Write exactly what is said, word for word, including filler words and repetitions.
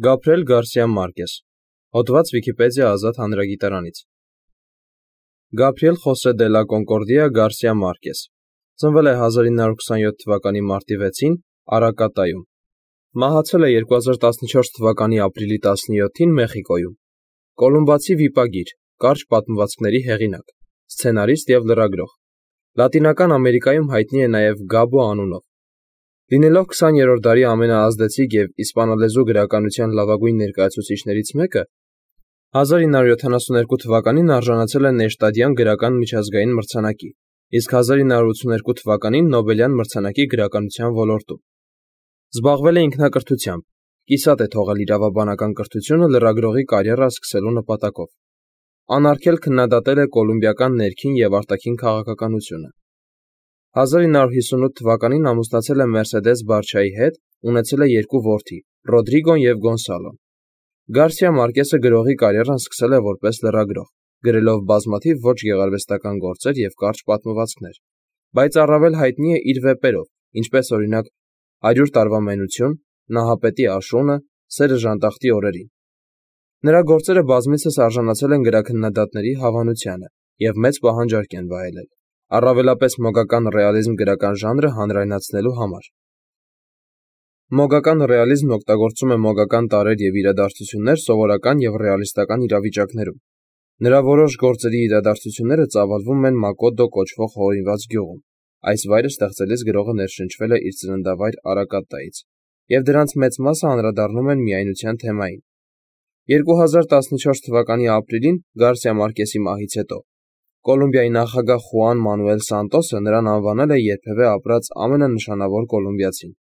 Գաբրիել Գարսիա Մարկես, հոդված Վիքիպեդիա ազատ հանրագիտարանից։ Գաբրիել Խոսե դե լա Կոնկորդիա Գարսիա Մարկես, ծնվել է հազար ինը հարյուր քսաներորդ թվականի մարտի վեցին Արակատայում, մահացել է երկու հազար տասնչորս թվականի ապրիլի տասնյոթին Մեխիկոյում, կոլումբացի վիպագիր, կարճ պատմվածքների հեղինակ, սցենարիստ և լրագրող, Լատինական Ամերիկայում հայտնի է նաև Գաբո անունով։ Լինելով քսաներորդ դարի ամենաազդեցիկ և իսպանալեզու գրականության լավագույն ներկայացուցիչներից մեկը, հազար ինը հարյուր յոթանասունութ թվականին արժանացել է Նեշտադյան գրական միջազգային մրցանակի, իսկ հազար ինը հարյուր ութսուներկու թվականին Նոբելյան մրցանակի գրականության ոլորտում։ Զբաղվել է ինքնակրթությամբ, կիսատ է թողել իրավաբանական կրթությունը լրագրողի կարիերա սկսելու նպատակով։ Անարգել քննադատել է կոլումբիական ներքին և արտաքին քաղաքականությունը։ հազար ինը հարյուր հիսունութ թվականին ամուսնացել է Մերսեդես Բարչայի հետ, ունեցել է երկու որդի՝ Ռոդրիգոն և Գոնսալոն։ Գարսիա Մարկեսը գրողի կարիերան սկսել է որպես լրագրող, գրելով բազմաթիվ ոչ գեղարվեստական գործեր և կարճ պատմվածքներ, բայց առավել հայտնի է իր վեպերով, ինչպես օրինակ «հարյուր տարվա մենություն», «Նահապետի աշունը», «Սերը ժանտախտի օրերին»։ Նրա գործերը բազմիցս արժանացել են գրաքննադատների հավանությանը և մեծ պահանջարկ են վայելել, առավելապես մոգական ռեալիզմ գրական ժանրը հանրայնացնելու համար։ Մոգական ռեալիզմն օգտագործում է մոգական տարրեր և իրադարձություններ սովորական և ռեալիստական իրավիճակներում։ Նրա որոշ գործերի իրադարձությունները ծավալվում են Մակոդո կոչվող հորինված գյուղում, այս վայրը ստեղծելիս գրողը ներշնչվել է իր ծննդավայր Արակատայից, և դրանց մեծ մասը անդրադառնում են միայնության թեմային։ երկու հազար տասնչորս թվականի ապրիլին Գարսիա Մարկեսի մահից հետո Կոլումբիայի նախագահ Խուան Մանուել Սանտոսը նրան անվանել է երբևէ ապրած ամենանշանավոր կոլումբիացին։